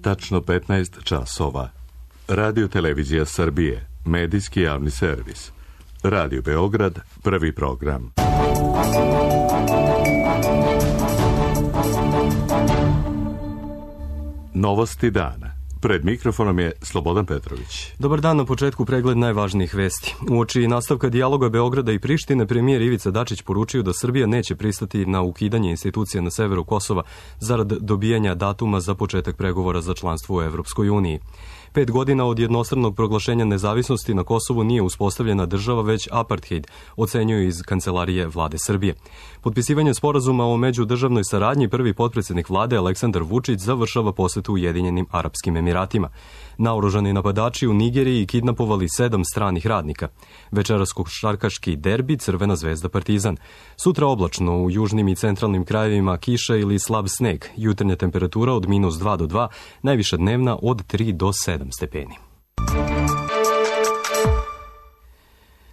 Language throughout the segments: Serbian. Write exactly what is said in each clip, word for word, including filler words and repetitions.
tačno petnaest časova. Radio Televizija Srbije, medijski javni servis. Radio Beograd, prvi program. Novosti dana. Pred mikrofonom je Slobodan Petrović. Dobar dan, na početku pregled najvažnijih vesti. Uoči nastavka dijaloga Beograda i Prištine, premijer Ivica Dačić poručio da Srbija neće pristati na ukidanje institucija na severu Kosova zarad dobijanja datuma za početak pregovora za članstvo u Evropskoj uniji. Pet godina od jednostranog proglašenja nezavisnosti na Kosovu nije uspostavljena država, već apartheid, ocenjuju iz kancelarije vlade Srbije. Potpisivanje sporazuma o međudržavnoj saradnji prvi potpredsjednik vlade Aleksandar Vučić završava posetu Ujedinjenim Arapskim Emiratima. Naoružani napadači u Nigeriji kidnapovali sedam stranih radnika. Večeras košarkaški derbi Crvena zvezda Partizan. Sutra oblačno u južnim i centralnim krajevima kiša ili slab sneg. Jutarnja temperatura od minus dva do dva, najviša dnevna od tri do sedam stepeni.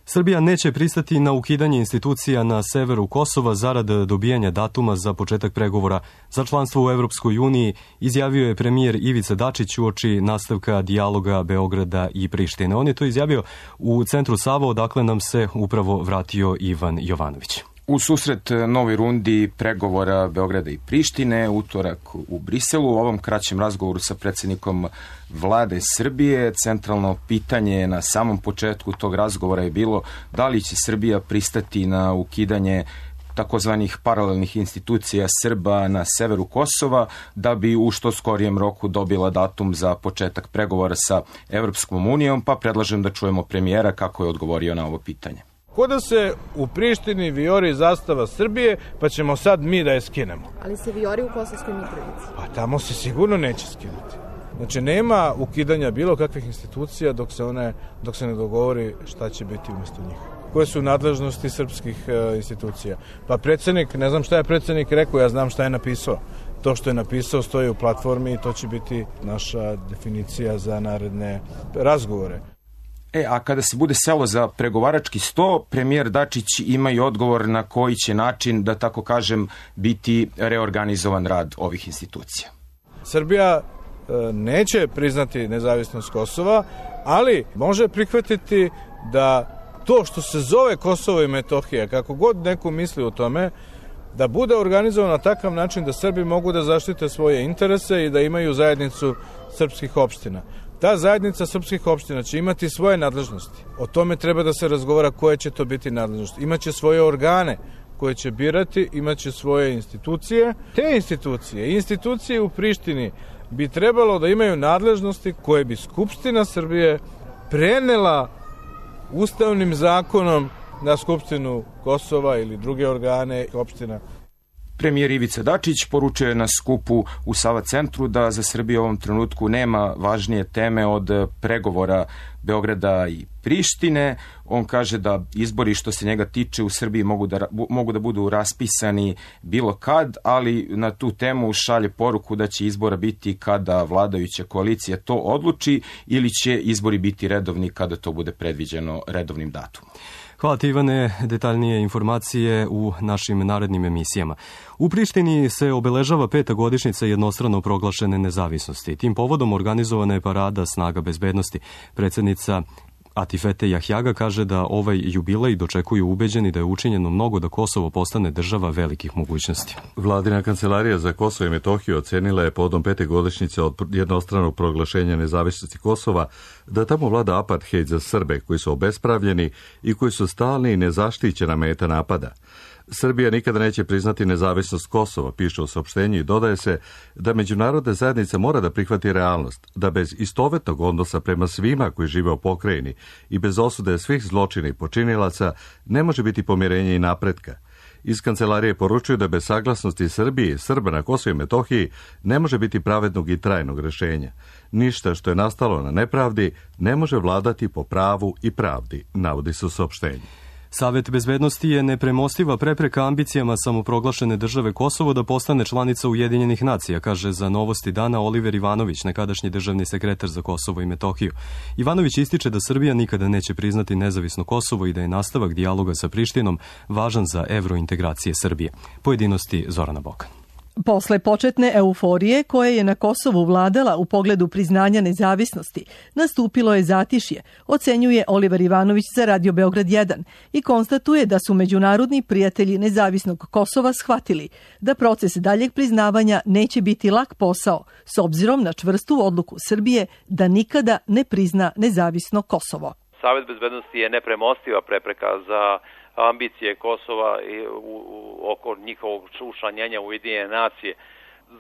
Srbija neće pristati na ukidanje institucija na severu Kosova zarad dobijanja datuma za početak pregovora za članstvo u Evropskoj uniji, izjavio je premijer Ivica Dačić uoči nastavka dijaloga Beograda i Prištine. On je to izjavio u centru Sava, odakle nam se upravo vratio Ivan Jovanović. U susret novoj rundi pregovora Beograda i Prištine, utorak u Briselu, u ovom kraćem razgovoru sa predsjednikom vlade Srbije, centralno pitanje na samom početku tog razgovora je bilo da li će Srbija pristati na ukidanje takozvanih paralelnih institucija Srba na severu Kosova, da bi u što skorijem roku dobila datum za početak pregovora sa Evropskom unijom, pa predlažem da čujemo premijera kako je odgovorio na ovo pitanje. Ko da se u Prištini vijori zastava Srbije, pa ćemo sad mi da je skinemo. Ali se vijori u Kosovskoj Mitrovici. Pa tamo se sigurno neće skinuti. Znači, nema ukidanja bilo kakvih institucija dok se, one, dok se ne dogovori šta će biti umjesto njih. Koje su nadležnosti srpskih e, institucija? Pa predsjednik, ne znam šta je predsjednik rekao, ja znam šta je napisao. To što je napisao stoji u platformi i to će biti naša definicija za naredne razgovore. E, a kada se bude selo za pregovarački sto, premijer Dačić ima i odgovor na koji će način, da tako kažem, biti reorganizovan rad ovih institucija. Srbija e, neće priznati nezavisnost Kosova, ali može prihvatiti da to što se zove Kosovo i Metohija, kako god neko misli o tome, da bude organizovano na takav način da Srbi mogu da zaštite svoje interese i da imaju zajednicu srpskih opština. Ta zajednica srpskih opština će imati svoje nadležnosti. O tome treba da se razgovara koje će to biti nadležnosti. Imaće svoje organe koje će birati, imaće svoje institucije. Te institucije, institucije u Prištini bi trebalo da imaju nadležnosti koje bi Skupština Srbije prenela ustavnim zakonom na Skupštinu Kosova ili druge organe opština. Premijer Ivica Dačić poručio je na skupu u Sava centru da za Srbiju u ovom trenutku nema važnije teme od pregovora Beograda i Prištine. On kaže da izbori što se njega tiče u Srbiji mogu da, mogu da budu raspisani bilo kad, ali na tu temu šalje poruku da će izbora biti kada vladajuća koalicija to odluči ili će izbori biti redovni kada to bude predviđeno redovnim datumom. Hvala ti, Ivane, detaljnije informacije u našim narednim emisijama. U Prištini se obeležava peta godišnjica jednostrano proglašene nezavisnosti. Tim povodom organizovana je parada snaga bezbednosti. Predsjednica Atifete Jahjaga kaže da ovaj jubilej dočekuju ubeđeni da je učinjeno mnogo da Kosovo postane država velikih mogućnosti. Vladina kancelarija za Kosovo i Metohiju ocenila je povodom pete godišnjice od jednostranog proglašenja nezavisnosti Kosova da tamo vlada apartheid za Srbe koji su obespravljeni i koji su stalni i nezaštićena meta napada. Srbija nikada neće priznati nezavisnost Kosova, piše u saopštenju, i dodaje se da međunarodna zajednica mora da prihvati realnost, da bez istovetnog odnosa prema svima koji žive u pokrajini i bez osude svih zločina i počinilaca ne može biti pomirenja i napretka. Iz kancelarije poručuju da bez saglasnosti Srbije i Srba na Kosovu i Metohiji ne može biti pravednog i trajnog rešenja. Ništa što je nastalo na nepravdi ne može vladati po pravu i pravdi, navodi se u saopštenju. Savet bezbednosti je nepremostiva prepreka ambicijama samoproglašene države Kosovo da postane članica Ujedinjenih nacija, kaže za Novosti dana Oliver Ivanović, nekadašnji državni sekretar za Kosovo i Metohiju. Ivanović ističe da Srbija nikada neće priznati nezavisno Kosovo i da je nastavak dijaloga sa Prištinom važan za evrointegracije Srbije. Pojedinosti Zorana Bokan. Posle početne euforije koja je na Kosovu vladala u pogledu priznanja nezavisnosti, nastupilo je zatišje, ocenjuje Oliver Ivanović za Radio Beograd jedan i konstatuje da su međunarodni prijatelji nezavisnog Kosova shvatili da proces daljeg priznavanja neće biti lak posao s obzirom na čvrstu odluku Srbije da nikada ne prizna nezavisno Kosovo. Savet bezbednosti je nepremostiva prepreka za ambicije Kosova i u, u, oko njihovog učlanjenja u Ujedinjene nacije.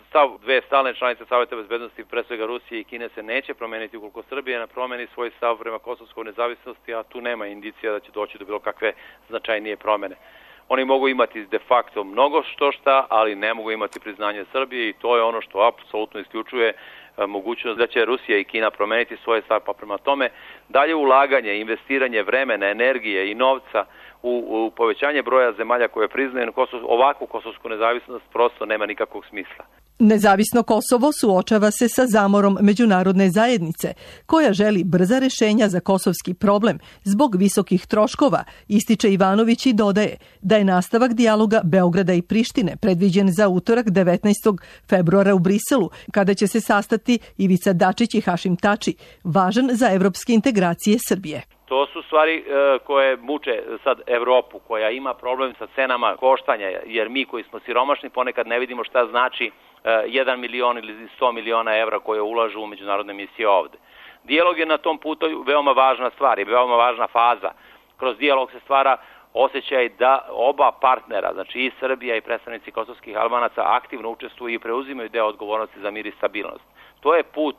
Stav dve stalne članice Saveta bezbednosti, pre svega Rusije i Kine, se neće promeniti ukoliko Srbija ne promeni svoj stav prema kosovskoj nezavisnosti, a tu nema indicija da će doći do bilo kakve značajnije promene. Oni mogu imati de facto mnogo što šta, ali ne mogu imati priznanje Srbije i to je ono što apsolutno isključuje mogućnost da će Rusija i Kina promeniti svoje stav, pa prema tome dalje ulaganje, investiranje vremena, energije i novca u, u povećanje broja zemalja koje priznaju Kosov, ovakvu kosovsku nezavisnost prosto nema nikakvog smisla. Nezavisno Kosovo suočava se sa zamorom međunarodne zajednice, koja želi brza rešenja za kosovski problem zbog visokih troškova, ističe Ivanović i dodaje da je nastavak dijaloga Beograda i Prištine predviđen za utorak devetnaestog februara u Briselu, kada će se sastati Ivica Dačić i Hašim Tači, važan za evropske integracije Srbije. To su stvari e, koje muče sad Evropu, koja ima problem sa cenama koštanja, jer mi koji smo siromašni ponekad ne vidimo šta znači e, jedan milion ili sto miliona evra koje ulažu u međunarodne misije ovde. Dijalog je na tom putu veoma važna stvar i veoma važna faza. Kroz dijalog se stvara osjećaj da oba partnera, znači i Srbija i predstavnici kosovskih Albanaca, aktivno učestvuju i preuzimaju deo odgovornosti za mir i stabilnost. To je put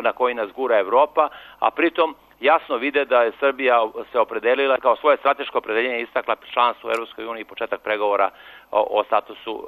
na koji nas gura Evropa, a pritom jasno vide da je Srbija se opredelila kao svoje strateško opredeljenje istakla članstvo u Evropskoj uniji i početak pregovora o, o statusu uh,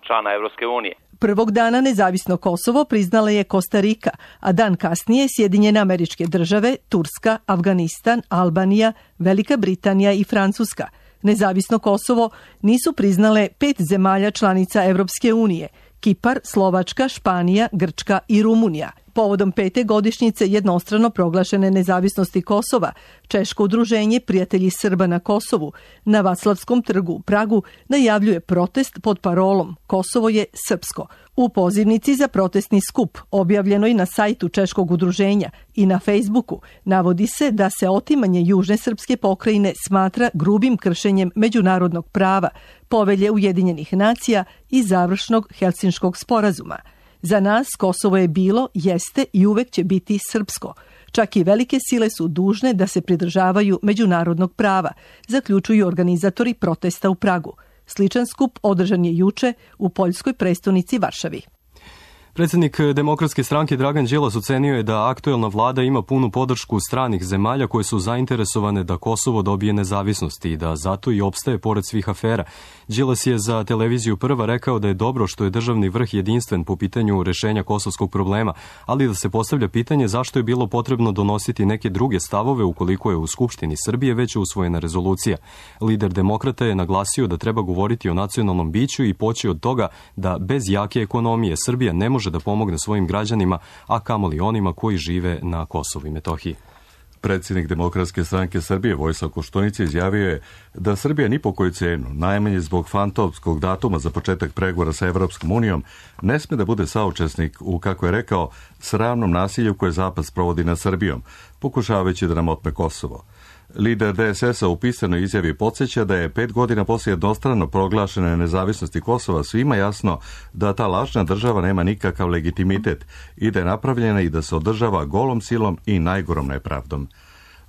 člana Evropske unije. Prvog dana nezavisno Kosovo priznala je Kostarika, a dan kasnije Sjedinjene Američke Države, Turska, Afganistan, Albanija, Velika Britanija i Francuska. Nezavisno Kosovo nisu priznale pet zemalja članica Evropske unije: Kipar, Slovačka, Španija, Grčka i Rumunija. Povodom pete godišnjice jednostrano proglašene nezavisnosti Kosova, Češko udruženje Prijatelji Srba na Kosovu na Vaclavskom trgu u Pragu najavljuje protest pod parolom Kosovo je srpsko. U pozivnici za protestni skup, objavljenoj na sajtu Češkog udruženja i na Facebooku, navodi se da se otimanje južne srpske pokrajine smatra grubim kršenjem međunarodnog prava, Povelje Ujedinjenih nacija i završnog Helsinškog sporazuma. Za nas Kosovo je bilo, jeste i uvek će biti srpsko. Čak i velike sile su dužne da se pridržavaju međunarodnog prava, zaključuju organizatori protesta u Pragu. Sličan skup održan je juče u poljskoj prestonici Varšavi. Predsjednik Demokratske stranke Dragan Đilas ocenio je da aktuelna vlada ima punu podršku stranih zemalja koje su zainteresovane da Kosovo dobije nezavisnost i da zato i opstaje pored svih afera. Đilas je za televiziju Prva rekao da je dobro što je državni vrh jedinstven po pitanju rešenja kosovskog problema, ali da se postavlja pitanje zašto je bilo potrebno donositi neke druge stavove ukoliko je u Skupštini Srbije već usvojena rezolucija. Lider Demokrata je naglasio da treba govoriti o nacionalnom biću i poći od toga da bez jake ekonomije Srbija ne može da pomogne svojim građanima, a kamoli onima koji žive na Kosovu i Metohiji. Predsjednik Demokratske stranke Srbije Vojislav Koštunica izjavio je da Srbija ni po koju cenu, najmanje zbog fantomskog datuma za početak pregovora sa Evropskom unijom, ne sme da bude saučesnik u, kako je rekao, sramnom nasilju koje Zapad sprovodi nad Srbijom, pokušavajući da nam otme Kosovo. Lider D S S-a u pisanoj izjavi podsjeća da je pet godina poslije jednostrano proglašene nezavisnosti Kosova svima jasno da ta lažna država nema nikakav legitimitet i da je napravljena i da se održava golom silom i najgorom nepravdom.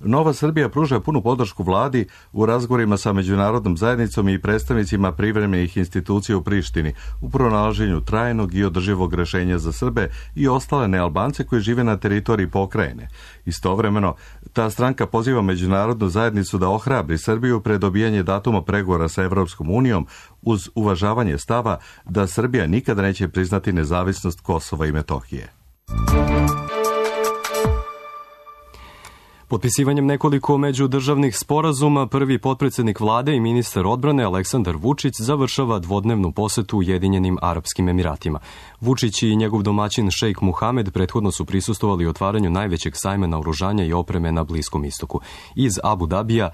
Nova Srbija pruža punu podršku vladi u razgovorima sa međunarodnom zajednicom i predstavnicima privremenih institucija u Prištini u pronalaženju trajnog i održivog rešenja za Srbe i ostale nealbance koji žive na teritoriji pokrajine. Istovremeno, ta stranka poziva međunarodnu zajednicu da ohrabri Srbiju pred dobijanje datuma pregovora sa Evropskom unijom uz uvažavanje stava da Srbija nikada neće priznati nezavisnost Kosova i Metohije. Potpisivanjem nekoliko međudržavnih sporazuma, prvi potpredsjednik vlade i ministar odbrane Aleksandar Vučić završava dvodnevnu posetu Ujedinjenim Arapskim Emiratima. Vučić i njegov domaćin šejk Muhamed prethodno su prisustvovali otvaranju najvećeg sajma naoružanja i opreme na Bliskom istoku. Iz Abu Dabija,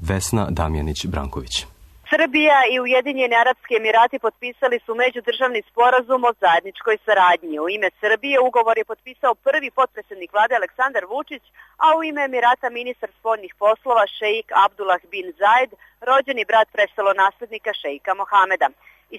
Vesna Damjanić-Branković. Srbija i Ujedinjeni Arapski Emirati potpisali su međudržavni sporazum o zajedničkoj saradnji. U ime Srbije ugovor je potpisao prvi potpredsjednik vlade Aleksandar Vučić, a u ime Emirata ministar spoljnih poslova šeik Abdullah bin Zaid, rođeni brat prestolonaslednika šeika Mohameda.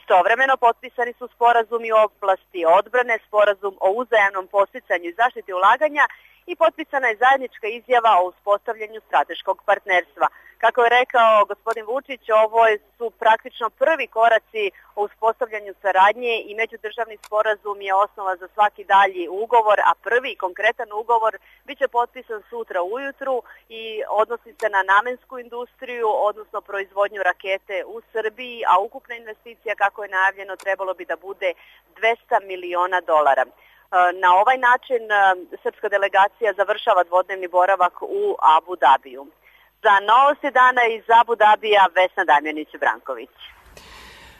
Istovremeno potpisani su sporazumi u oblasti odbrane, sporazum o uzajamnom podsticanju i zaštiti ulaganja i potpisana je zajednička izjava o uspostavljanju strateškog partnerstva. Kako je rekao gospodin Vučić, ovo su praktično prvi koraci o uspostavljanju saradnje i međudržavni sporazum je osnova za svaki dalji ugovor, a prvi konkretan ugovor biće potpisan sutra ujutru i odnosi se na namensku industriju, odnosno proizvodnju rakete u Srbiji, a ukupna investicija, kako je najavljeno, trebalo bi da bude dvesta miliona dolara. Na ovaj način srpska delegacija završava dvodnevni boravak u Abu Dabiju. Za Novosti dana iz Abu Dabija, Vesna Damjanić-Branković.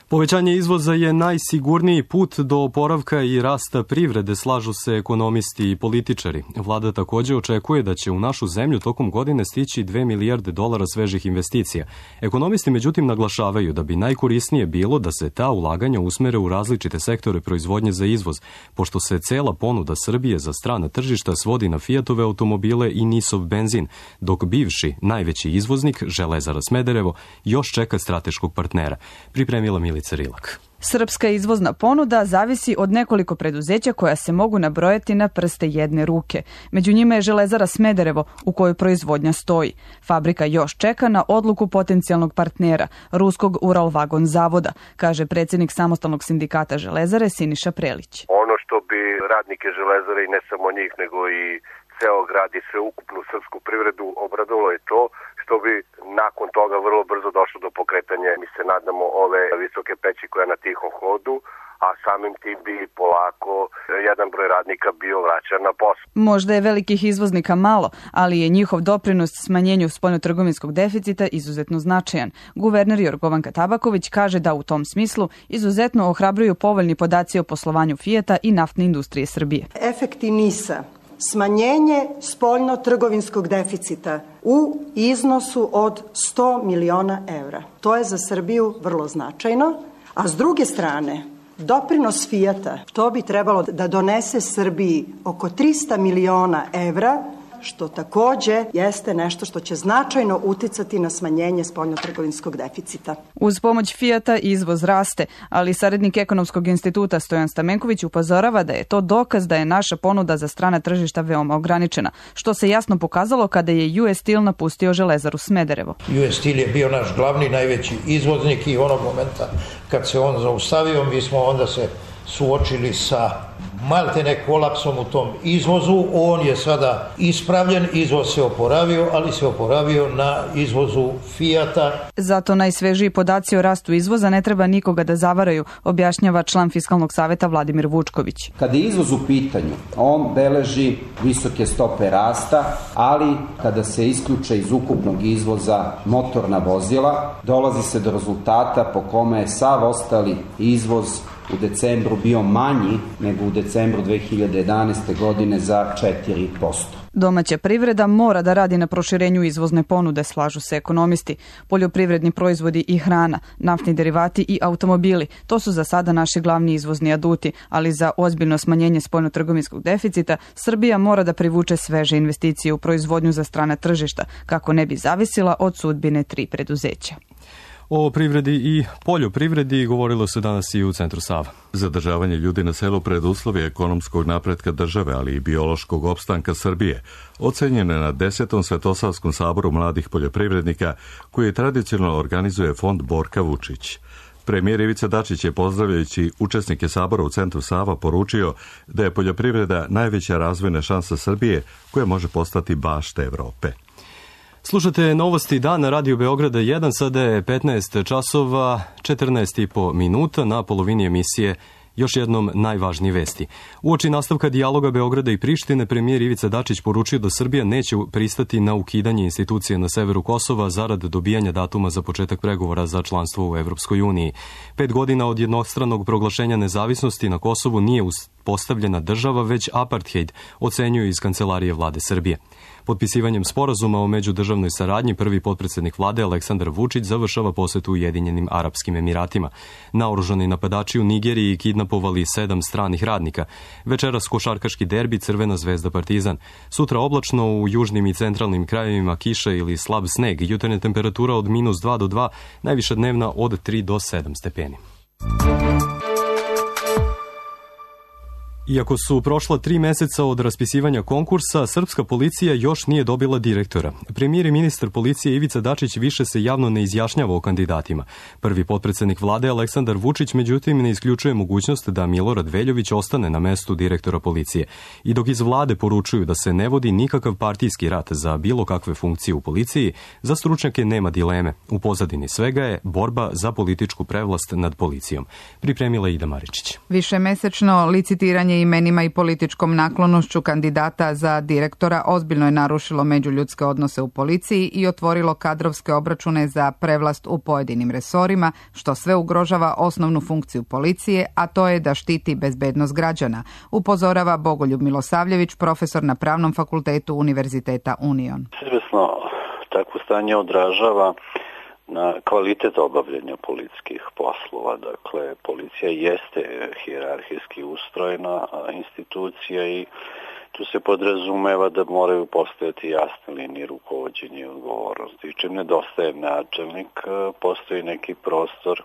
Povećanje izvoza je najsigurniji put do oporavka i rasta privrede, slažu se ekonomisti i političari. Vlada takođe očekuje da će u našu zemlju tokom godine stići dve milijarde dolara svežih investicija. Ekonomisti međutim naglašavaju da bi najkorisnije bilo da se ta ulaganja usmere u različite sektore proizvodnje za izvoz, pošto se cela ponuda Srbije za strana tržišta svodi na Fiatove automobile i Nisov benzin, dok bivši najveći izvoznik, Železara Smederevo, još čeka strateškog partnera. Pripremila Milica Rilak. Srpska izvozna ponuda zavisi od nekoliko preduzeća koja se mogu nabrojati na prste jedne ruke. Među njima je Železara Smederevo, u kojoj proizvodnja stoji. Fabrika još čeka na odluku potencijalnog partnera, ruskog Uralvagon zavoda, kaže predsjednik samostalnog sindikata Železare Siniša Prelić. Ono što bi radnike Železare i ne samo njih, nego i ceo grad i sveukupnu srpsku privredu obradovalo je to što bi nakon toga vrlo brzo došlo do pokretanja, mi se nadamo, ove visoke peći koja je na tihom hodu, a samim tim bi polako jedan broj radnika bio vraćan na posao. Možda je velikih izvoznika malo, ali je njihov doprinos smanjenju spoljnotrgovinskog deficita izuzetno značajan. Guverner Jorgovanka Tabaković kaže da u tom smislu izuzetno ohrabruju povoljni podaci o poslovanju Fijata i naftne industrije Srbije. Efekti NIS-a, smanjenje spoljno-trgovinskog deficita u iznosu od sto miliona evra. To je za Srbiju vrlo značajno, a s druge strane, doprinos Fijata, to bi trebalo da donese Srbiji oko trista miliona evra, što takođe jeste nešto što će značajno uticati na smanjenje spoljnotrgovinskog deficita. Uz pomoć Fijata izvoz raste, ali saradnik Ekonomskog instituta Stojan Stamenković upozorava da je to dokaz da je naša ponuda za strana tržišta veoma ograničena, što se jasno pokazalo kada je U S Steel napustio Železaru Smederevo. U S Steel je bio naš glavni, najveći izvoznik i onog momenta kad se on zaustavio, mi smo onda se suočili sa maltene kolapsom u tom izvozu. On je sada ispravljen, izvoz se oporavio, ali se oporavio na izvozu Fijata. Zato najsvežiji podaci o rastu izvoza ne treba nikoga da zavaraju, objašnjava član Fiskalnog saveta Vladimir Vučković. Kada je izvoz u pitanju, on beleži visoke stope rasta, ali kada se isključe iz ukupnog izvoza motorna vozila, dolazi se do rezultata po kome je sav ostali izvoz u decembru bio manji nego u decembru dve hiljade jedanaeste. godine za četiri posto. Domaća privreda mora da radi na proširenju izvozne ponude, slažu se ekonomisti. Poljoprivredni proizvodi i hrana, naftni derivati i automobili, to su za sada naši glavni izvozni aduti, ali za ozbiljno smanjenje spoljnotrgovinskog deficita Srbija mora da privuče sveže investicije u proizvodnju za strana tržišta, kako ne bi zavisila od sudbine tri preduzeća. O privredi i poljoprivredi govorilo se danas i u Centru Sava. Zadržavanje ljudi na selu preduslov je ekonomskog napretka države, ali i biološkog opstanka Srbije, ocenjeno je na desetom Svetosavskom saboru mladih poljoprivrednika koji tradicionalno organizuje fond Borka Vučić. Premijer Ivica Dačić je, pozdravljajući učesnike sabora u Centru Sava, poručio da je poljoprivreda najveća razvojna šansa Srbije koja može postati bašta Evrope. Slušate Novosti dana Radio Beograda jedan, sada je petnaest časova četrnaest i po minuta, na polovini emisije još jednom najvažnije vesti. Uoči nastavka dijaloga Beograda i Prištine, premijer Ivica Dačić poručio da Srbija neće pristati na ukidanje institucije na severu Kosova zarad dobijanja datuma za početak pregovora za članstvo u Evropskoj uniji. Pet godina od jednostranog proglašenja nezavisnosti na Kosovu nije postavljena država, već apartheid, ocenjuju iz Kancelarije vlade Srbije. Potpisivanjem sporazuma o međudržavnoj saradnji prvi potpredsednik vlade Aleksandar Vučić završava posetu Ujedinjenim Arapskim Emiratima. Naoružani napadači u Nigeriji kidnapovali sedam stranih radnika. Večeras košarkaški derbi Crvena zvezda Partizan. Sutra oblačno u južnim i centralnim krajevima kiša ili slab sneg. Jutarnja temperatura od minus dva do dva, najviša dnevna od tri do sedam stepeni. Iako su prošla tri meseca od raspisivanja konkursa, srpska policija još nije dobila direktora. Premijer i ministar policije Ivica Dačić više se javno ne izjašnjava o kandidatima. Prvi potpredsednik vlade Aleksandar Vučić međutim ne isključuje mogućnost da Milorad Veljović ostane na mestu direktora policije. I dok iz vlade poručuju da se ne vodi nikakav partijski rat za bilo kakve funkcije u policiji, za stručnjake nema dileme. U pozadini svega je borba za političku prevlast nad policijom. Pripremila Ida Maričić. Višemesečno licitiranje imenima i političkom naklonošću kandidata za direktora ozbiljno je narušilo međuljudske odnose u policiji i otvorilo kadrovske obračune za prevlast u pojedinim resorima, što sve ugrožava osnovnu funkciju policije, a to je da štiti bezbednost građana, upozorava Bogoljub Milosavljević, profesor na Pravnom fakultetu Univerziteta Union. Izvesno, takvo stanje odražava na kvalitet obavljanja policijskih poslova. Dakle, policija jeste hijerarhijski ustrojena institucija i tu se podrazumeva da moraju postojati jasne linije rukovođenja i odgovornosti. Čim nedostaje načelnik, postoji neki prostor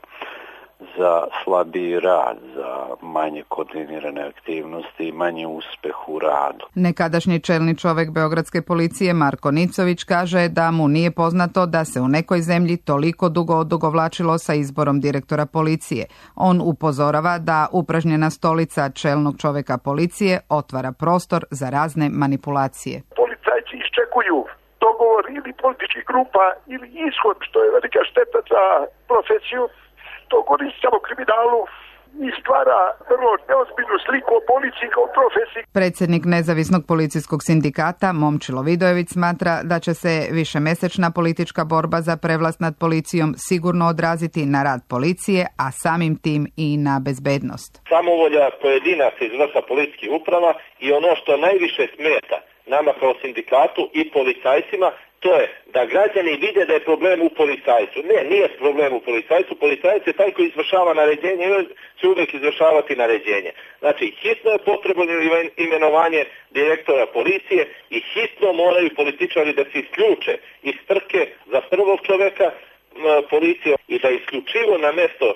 za slabiji rad, za manje koordinirane aktivnosti i manje uspeh u radu. Nekadašnji čelni čovek Beogradske policije Marko Nicović kaže da mu nije poznato da se u nekoj zemlji toliko dugo odugovlačilo sa izborom direktora policije. On upozorava da upražnjena stolica čelnog čoveka policije otvara prostor za razne manipulacije. Policajci iščekuju dogovor ili političkih grupa ili ishod, što je velika šteta za profesiju. To koristi samo kriminalu i stvara vrlo neozbiljnu sliku o policiji kao profesiji. Predsjednik Nezavisnog policijskog sindikata Momčilo Vidojević smatra da će se višemesečna politička borba za prevlast nad policijom sigurno odraziti na rad policije, a samim tim i na bezbednost. Samovolja pojedinaca iz vrha policijskih uprava i ono što najviše smeta nama kao sindikatu i policajcima, to je da građani vide da je problem u policajcu. Ne, nije problem u policajcu. Policajac je taj koji izvršava naređenje i će uvijek izvršavati naređenje. Znači, hitno je potrebno imenovanje direktora policije i hitno moraju političari da se isključe iz trke za prvog čoveka policije i da isključivo na mesto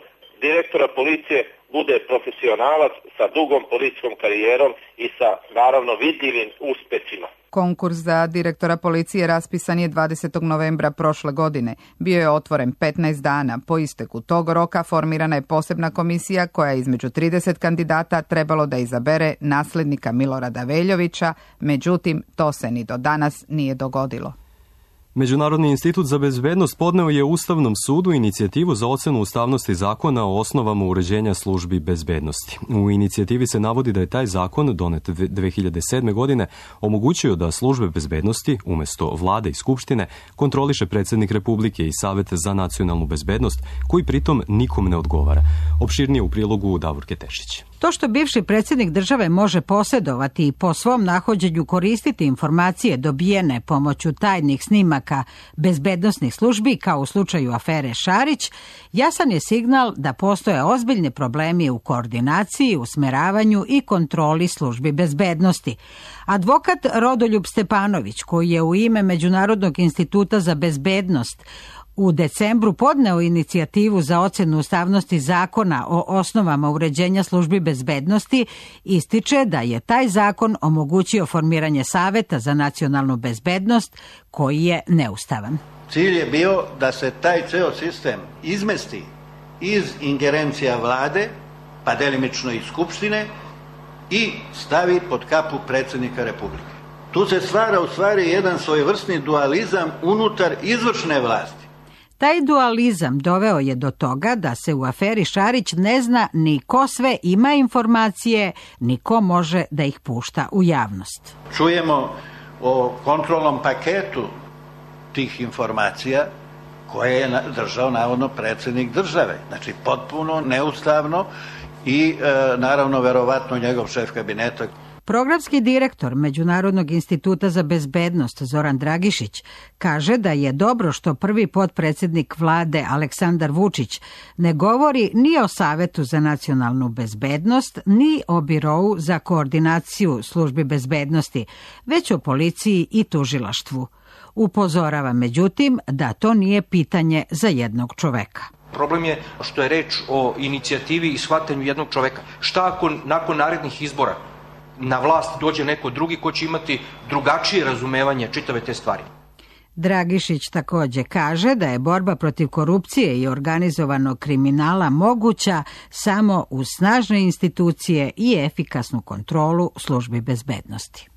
direktora policije bude profesionalac sa dugom policijskom karijerom i sa, naravno, vidljivim uspecima. Konkurs za direktora policije raspisan je dvadesetog novembra prošle godine. Bio je otvoren petnaest dana. Po isteku tog roka formirana je posebna komisija koja je između trideset kandidata trebalo da izabere naslednika Milorada Veljovića, međutim, to se ni do danas nije dogodilo. Međunarodni institut za bezbednost podneo je Ustavnom sudu inicijativu za ocenu ustavnosti zakona o osnovama uređenja službi bezbednosti. U inicijativi se navodi da je taj zakon, donet dve hiljade sedme. godine, omogućio da službe bezbednosti, umesto vlade i skupštine, kontroliše predsjednik Republike i Savet za nacionalnu bezbednost, koji pritom nikom ne odgovara. Opširnije u prilogu Davorke Tešić. To što bivši predsjednik države može posjedovati i po svom nahođenju koristiti informacije dobijene pomoću tajnih snimaka bezbednosnih službi, kao u slučaju afere Šarić, jasan je signal da postoje ozbiljni problemi u koordinaciji, usmeravanju i kontroli službi bezbednosti. Advokat Rodoljub Stepanović, koji je u ime Međunarodnog instituta za bezbednost u decembru podneo inicijativu za ocenu ustavnosti zakona o osnovama uređenja službi bezbednosti, ističe da je taj zakon omogućio formiranje Saveta za nacionalnu bezbednost, koji je neustavan. Cilj je bio da se taj ceo sistem izmesti iz ingerencija vlade, pa delimično i skupštine, i stavi pod kapu predsjednika Republike. Tu se stvara u stvari jedan svojevrsni dualizam unutar izvršne vlasti. Taj dualizam doveo je do toga da se u aferi Šarić ne zna ni ko sve ima informacije, ni ko može da ih pušta u javnost. Čujemo o kontrolnom paketu tih informacija koje je držao navodno predsjednik države. Znači potpuno neustavno i e, naravno verovatno njegov šef kabineta. Programski direktor Međunarodnog instituta za bezbednost Zoran Dragišić kaže da je dobro što prvi potpredsednik vlade Aleksandar Vučić ne govori ni o Savetu za nacionalnu bezbednost, ni o Birou za koordinaciju službi bezbednosti, već o policiji i tužilaštvu. Upozorava međutim da to nije pitanje za jednog čoveka. Problem je što je reč o inicijativi i shvatanju jednog čoveka. Šta ako nakon narednih izbora na vlast dođe neko drugi ko će imati drugačije razumevanje čitave te stvari? Dragišić takođe kaže da je borba protiv korupcije i organizovanog kriminala moguća samo uz snažne institucije i efikasnu kontrolu službi bezbednosti.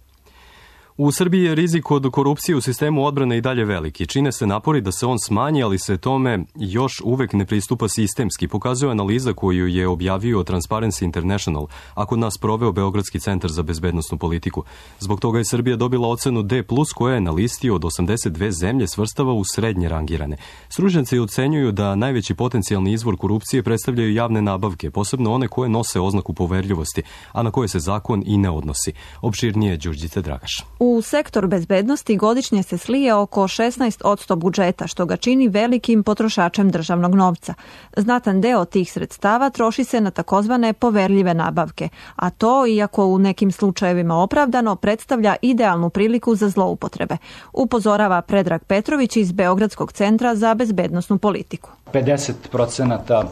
U Srbiji je rizik od korupcije u sistemu odbrane i dalje veliki. Čine se napori da se on smanji, ali se tome još uvek ne pristupa sistemski, pokazuje analiza koju je objavio Transparency International, a kod nas proveo Beogradski centar za bezbednosnu politiku. Zbog toga je Srbija dobila ocenu D plus, koja je na listi od osamdeset dve zemlje svrstava u srednje rangirane. Stručnjaci ocenjuju da najveći potencijalni izvor korupcije predstavljaju javne nabavke, posebno one koje nose oznaku poverljivosti, a na koje se zakon i ne odnosi. Opširnije Đurđica Dragaš. U sektor bezbednosti godišnje se slije oko šesnaest posto budžeta, što ga čini velikim potrošačem državnog novca. Znatan deo tih sredstava troši se na takozvane poverljive nabavke, a to, iako u nekim slučajevima opravdano, predstavlja idealnu priliku za zloupotrebe. Upozorava Predrag Petrović iz Beogradskog centra za bezbednosnu politiku. pedeset procenata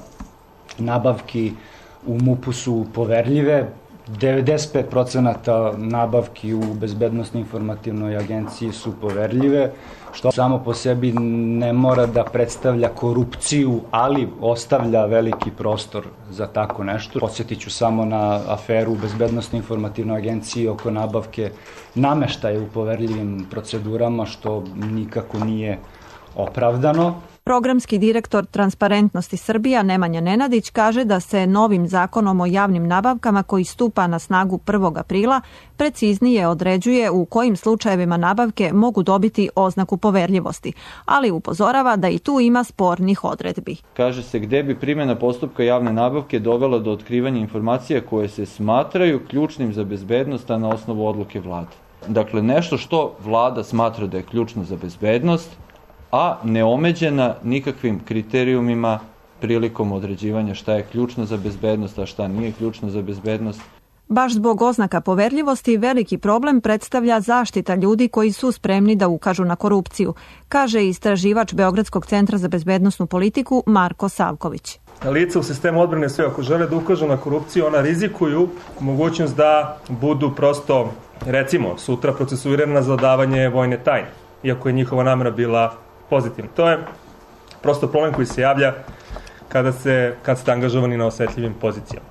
nabavki u MUP-u su poverljive, devedeset pet procenata nabavki u Bezbednosno informativnoj agenciji su poverljive, što samo po sebi ne mora da predstavlja korupciju, ali ostavlja veliki prostor za tako nešto. Podsjetit ću samo na aferu u Bezbednosno informativnoj agenciji oko nabavke nameštaja u poverljivim procedurama, što nikako nije opravdano. Programski direktor Transparentnosti Srbija Nemanja Nenadić kaže da se novim zakonom o javnim nabavkama, koji stupa na snagu prvog aprila, preciznije određuje u kojim slučajevima nabavke mogu dobiti oznaku poverljivosti, ali upozorava da i tu ima spornih odredbi. Kaže se gde bi primjena postupka javne nabavke dovela do otkrivanja informacija koje se smatraju ključnim za bezbednost, a na osnovu odluke vlade. Dakle, nešto što vlada smatra da je ključno za bezbednost, a neomeđena nikakvim kriterijumima prilikom određivanja šta je ključno za bezbednost, a šta nije ključno za bezbednost. Baš zbog oznaka poverljivosti veliki problem predstavlja zaštita ljudi koji su spremni da ukažu na korupciju, kaže istraživač Beogradskog centra za bezbednosnu politiku Marko Savković. Lica u sistemu odbrane sve, ako žele da ukažu na korupciju, ona rizikuju mogućnost da budu prosto, recimo, sutra procesuirana za odavanje vojne tajne, iako je njihova namera bila pozitivno. To je prosto problem koji se javlja kada, se, kad ste angažovani na osetljivim pozicijama.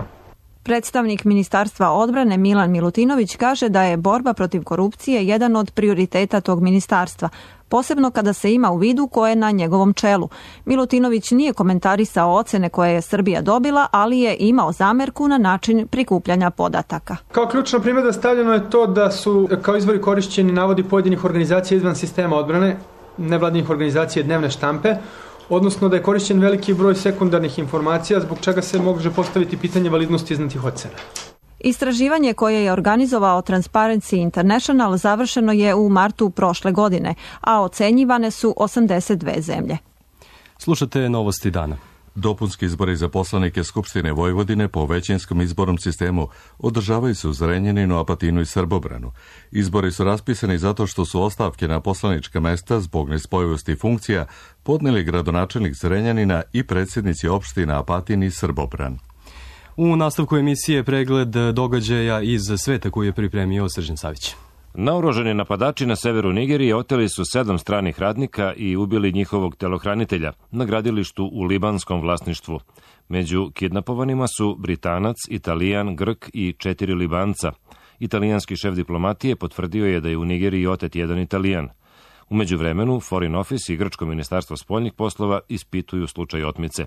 Predstavnik Ministarstva odbrane Milan Milutinović kaže da je borba protiv korupcije jedan od prioriteta tog ministarstva, posebno kada se ima u vidu ko je na njegovom čelu. Milutinović nije komentarisao ocene koje je Srbija dobila, ali je imao zamerku na način prikupljanja podataka. Kao ključna primjedba stavljeno je to da su kao izvori korišćeni navodi pojedinih organizacija izvan sistema odbrane, nevladinih organizacija dnevne štampe, odnosno da je korišćen veliki broj sekundarnih informacija, zbog čega se može postaviti pitanje validnosti iznatih ocena. Istraživanje koje je organizovao Transparency International završeno je u martu prošle godine, a ocenjivane su osamdeset dve zemlje. Slušate Novosti dana. Dopunski izbori za poslanike Skupštine Vojvodine po većinskom izbornom sistemu održavaju se u Zrenjaninu, Apatinu i Srbobranu. Izbori su raspisani zato što su ostavke na poslanička mesta zbog nespojivosti funkcija podneli gradonačelnik Zrenjanina i predsjednici opština Apatin i Srbobran. U nastavku emisije pregled događaja iz sveta koji je pripremio Srđan Savić. Naoružani napadači na severu Nigerije oteli su sedam stranih radnika i ubili njihovog telohranitelja na gradilištu u libanskom vlasništvu. Među kidnapovanima su Britanac, Italijan, Grk i četiri Libanca. Italijanski šef diplomatije potvrdio je da je u Nigeriji otet jedan Italijan. U međuvremenu, Foreign Office i Grčko ministarstvo spoljnih poslova ispituju slučaj otmice.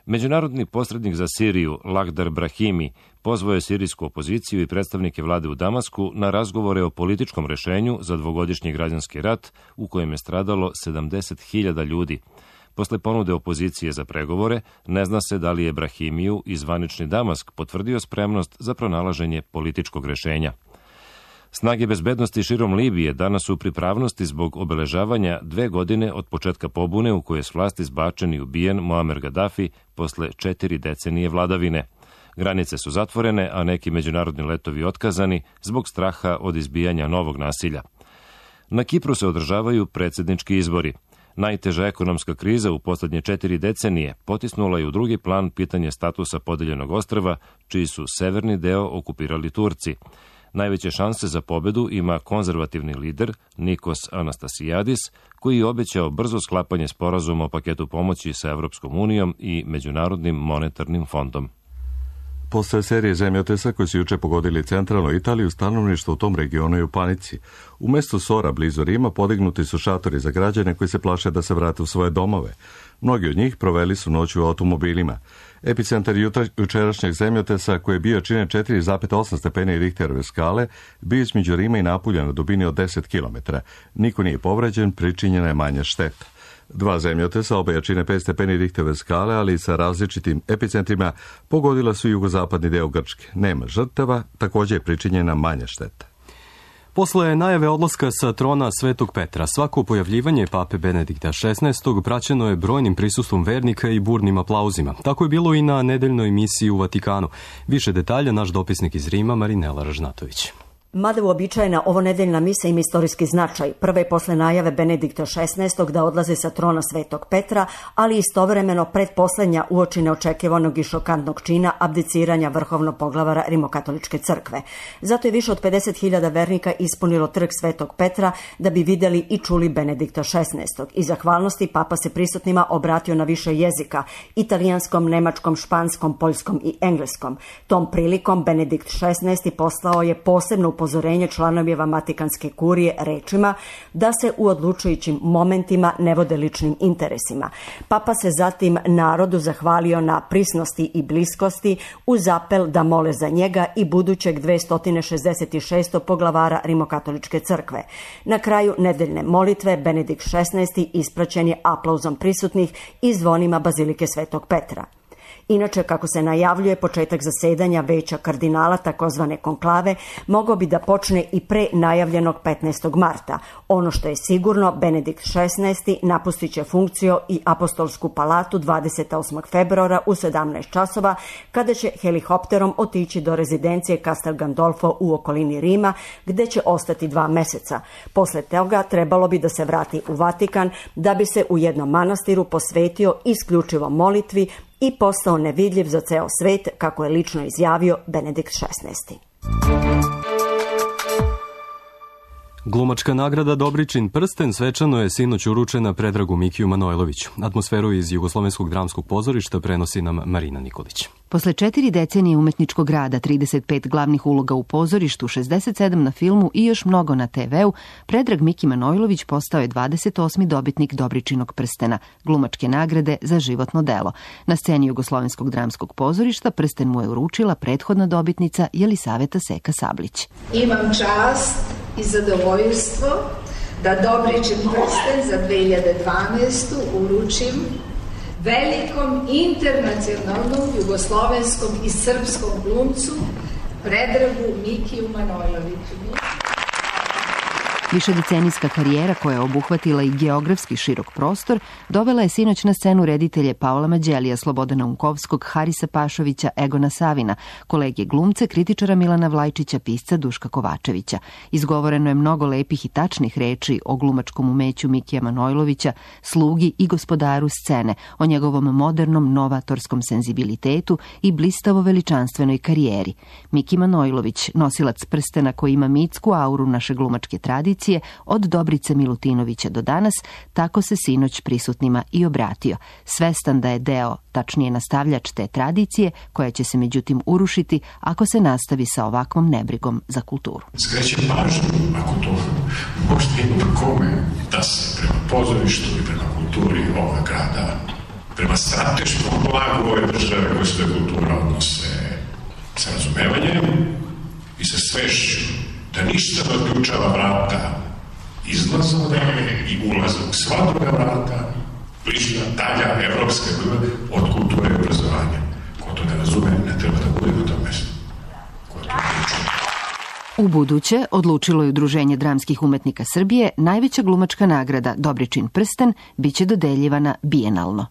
Međunarodni posrednik za Siriju, Lakhdar Brahimi, pozvao je sirijsku opoziciju i predstavnike vlade u Damasku na razgovore o političkom rešenju za dvogodišnji građanski rat u kojem je stradalo sedamdeset hiljada ljudi. Posle ponude opozicije za pregovore, ne zna se da li je Brahimiju i zvanični Damask potvrdio spremnost za pronalaženje političkog rešenja. Snage bezbednosti širom Libije danas su u pripravnosti zbog obeležavanja dve godine od početka pobune u kojoj je s vlasti zbačen i ubijen Muamer Gaddafi posle četiri decenije vladavine. Granice su zatvorene, a neki međunarodni letovi otkazani zbog straha od izbijanja novog nasilja. Na Kipru se održavaju predsjednički izbori. Najteža ekonomska kriza u poslednje četiri decenije potisnula je u drugi plan pitanje statusa podeljenog ostrva, čiji su severni deo okupirali Turci. Najveće šanse za pobedu ima konzervativni lider Nikos Anastasiadis, koji je obećao brzo sklapanje sporazuma o paketu pomoći sa Evropskom unijom i Međunarodnim monetarnim fondom. Posle serije zemljotesa koji su juče pogodili centralnu Italiju, stanovništvo u tom regionu je u panici. U mestu Sora, blizu Rima, podignuti su šatori za građane koji se plaše da se vrate u svoje domove. Mnogi od njih proveli su noć u automobilima. Epicentar jučerašnjeg zemljotesa, koji je bio čine četiri zarez osam stepeni Richterove skale, bio između Rima i Napulja na dubini od deset kilometara. Niko nije povređen, pričinjena je manja šteta. Dva zemljotesa, oba jačine pet stepeni Richterove skale, ali sa različitim epicentrima, pogodila su jugozapadni deo Grčke. Nema žrtava, također je pričinjena manja šteta. Posle najave odlaska sa trona Svetog Petra, svako pojavljivanje pape Benedikta šesnaestog praćeno je brojnim prisustvom vernika i burnim aplauzima. Tako je bilo i na nedeljnoj misiji u Vatikanu. Više detalja naš dopisnik iz Rima, Marinela Ražnatović. Mada uobičajena ovo nedeljna misa ima istorijski značaj, prve posle najave Benedikta šesnaestog da odlaze sa trona Svetog Petra, ali istovremeno predposlednja uoči neočekivanog i šokantnog čina abdiciranja vrhovnog poglavara Rimokatoličke crkve. Zato je više od pedeset hiljada vernika ispunilo trg Svetog Petra da bi videli i čuli Benedikta šesnaestog. I zahvalnosti papa se prisutnima obratio na više jezika, italijanskom, nemačkom, španskom, poljskom i engleskom. Tom prilikom Benedikt šesnaesti poslao je posebno upozorenje članovima Vatikanske kurije rečima da se u odlučujućim momentima ne vode ličnim interesima. Papa se zatim narodu zahvalio na prisnosti i bliskosti uz apel da mole za njega i budućeg dvesta šezdeset šestog poglavara Rimokatoličke crkve. Na kraju nedeljne molitve Benedikt šesnaesti ispraćen je aplauzom prisutnih i zvonima Bazilike Svetog Petra. Inače, kako se najavljuje, početak zasedanja veća kardinala, takozvane konklave, mogao bi da počne i pre najavljenog petnaestog marta. Ono što je sigurno, Benedikt šesnaesti napustit će funkciju i apostolsku palatu dvadeset osmog februara u sedamnaest časova, kada će helikopterom otići do rezidencije Castel Gandolfo u okolini Rima, gde će ostati dva meseca. Posle toga trebalo bi da se vrati u Vatikan, da bi se u jednom manastiru posvetio isključivo molitvi i postao nevidljiv za ceo svet, kako je lično izjavio Benedikt šesnaesti. Glumačka nagrada Dobričin prsten svečano je sinoć uručena Predragu Mikiju Manojloviću. Atmosferu iz Jugoslovenskog dramskog pozorišta prenosi nam Marina Nikolić. Posle četiri decenije umetničkog rada, trideset pet glavnih uloga u pozorištu, šezdeset sedam na filmu i još mnogo na te veu, Predrag Miki Manojlović postao je dvadeset osmi dobitnik Dobričinog prstena, glumačke nagrade za životno delo. Na sceni Jugoslovenskog dramskog pozorišta prsten mu je uručila prethodna dobitnica Jelisaveta Seka Sablić. Imam čast i zadovoljstvo da Dobričin prsten za dve hiljade dvanaestu uručim velikom internacionalnom jugoslovenskom i srpskom glumcu Predragu Mikiju Manojloviću. Višedecenijska karijera koja je obuhvatila i geografski širok prostor dovela je sinoć na scenu reditelje Paola Mađelija, Slobodana Unkovskog, Harisa Pašovića, Egona Savina, kolege glumce, kritičara Milana Vlajčića, pisca Duška Kovačevića. Izgovoreno je mnogo lepih i tačnih reči o glumačkom umeću Mikija Manojlovića, slugi i gospodaru scene, o njegovom modernom novatorskom senzibilitetu i blistavo veličanstvenoj karijeri. Miki Manojlović, nosilac prstena koji ima mitsku auru naše glumačke tradicije, od Dobrice Milutinovića do danas, tako se sinoć prisutnima i obratio, svestan da je deo, tačnije nastavljač te tradicije, koja će se međutim urušiti ako se nastavi sa ovakvom nebrigom za kulturu. Skrećem pažnju, ako to možda ima kome, da se prema pozorištu i prema kulturi ovoga grada, prema strateškom blagu ove države koje se da kultura odnose sa razumevanjem i sa svešću, da ništa ne odključava vrata izlaza odavde i ulaza u sva druga vrata, bližina dalja evropska od kulture i obrazovanja. Ko to ne razume, ne treba da bude na tom mestu. Ko to ne čuje. U buduće odlučilo je Udruženje dramskih umetnika Srbije, najveća glumačka nagrada Dobričin prsten biće dodeljivana bijenalno.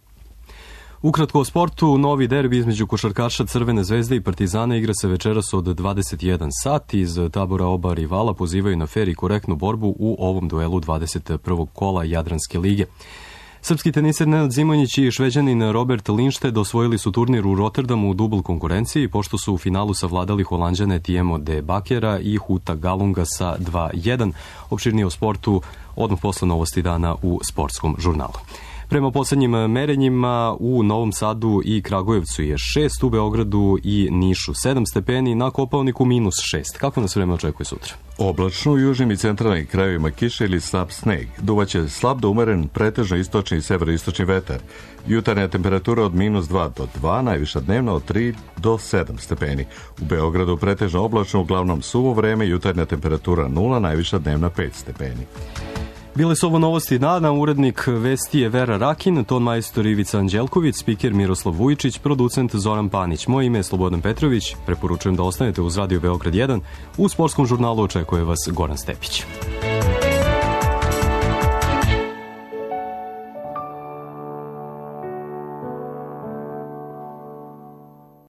Ukratko o sportu, novi derbi između košarkaša Crvene zvezde i Partizana igra se večeras od dvadeset jedan sat. Iz tabora oba rivala pozivaju na fer i korektnu borbu u ovom duelu dvadeset prvog kola Jadranske lige. Srpski teniser Nenad Zimonjić i Šveđanin Robert Lindstedt osvojili su turnir u Rotterdamu u dubl konkurenciji, pošto su u finalu savladali Holanđane Tiemo de Bakera i Huta Galunga sa dva jedan. Opširnije o sportu odmah posle novosti dana u sportskom žurnalu. Prema poslednjim merenjima u Novom Sadu i Kragujevcu je šest, u Beogradu i Nišu sedam stepeni, na Kopaoniku minus šest. Kako nas vreme očekuje sutra? Oblačno u južnim i centralnim krajevima kiše ili slab sneg. Duvaće slab do umeren pretežno istočni i severoistočni vetar. Jutarnja temperatura od minus dva do dva, najviša dnevna od tri do sedam stepeni. U Beogradu pretežno oblačno, uglavnom suvo vreme, jutarnja temperatura nula, najviša dnevna pet stepeni. Bile su ovo novosti dana, urednik vesti je Vera Rakin, ton majstor Ivica Anđelković, spiker Miroslav Vujičić, producent Zoran Panić. Moje ime je Slobodan Petrović, preporučujem da ostanete uz Radio Beograd jedan. U sportskom žurnalu očekuje vas Goran Stepić.